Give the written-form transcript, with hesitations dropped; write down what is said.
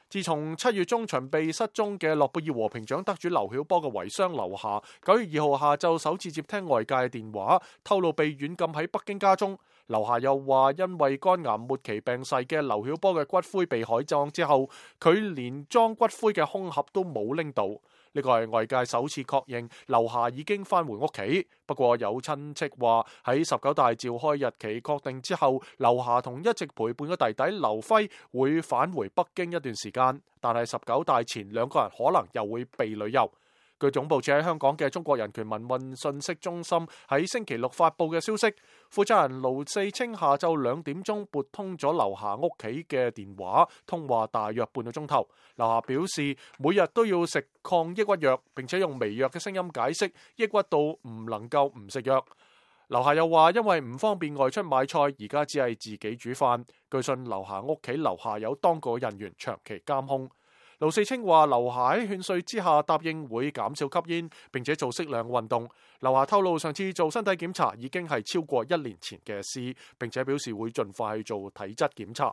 自從7月中旬被失蹤嘅諾貝爾和平獎得主劉曉波嘅遺孀劉霞9月2號下晝首次接聽外界嘅電話，透露被軟禁喺北京家中。劉霞又話，因為肝癌末期病逝嘅劉曉波嘅骨灰被海葬之後，佢連裝骨灰嘅空盒都冇拎到。呢個係外界首次確認劉霞已經返回屋企。不過有親戚話喺19大召開日期確定之後，劉霞同一直陪伴嘅弟弟劉輝會返回北京一段時間，但係19大前兩個人可能又會被旅遊。據總部設喺香港嘅中國人權民運信息中心喺星期六發佈嘅消息，負責人盧四清下晝2點鐘撥通咗劉霞屋企嘅電話，通話大約半個鐘頭。劉霞表示每日都要食抗抑鬱藥，並且用微弱嘅聲音解釋抑鬱到唔能夠唔食藥。劉霞又話因為唔方便外出買菜，而家只係自己煮飯。據信劉霞屋企樓下有當局人員長期監控。盧四清話劉霞喺勸說之下答應會減少吸煙，並且做適量運動。劉霞透露上次做身體檢查已經係超過1年前嘅事，並且表示會盡快去做體質檢查。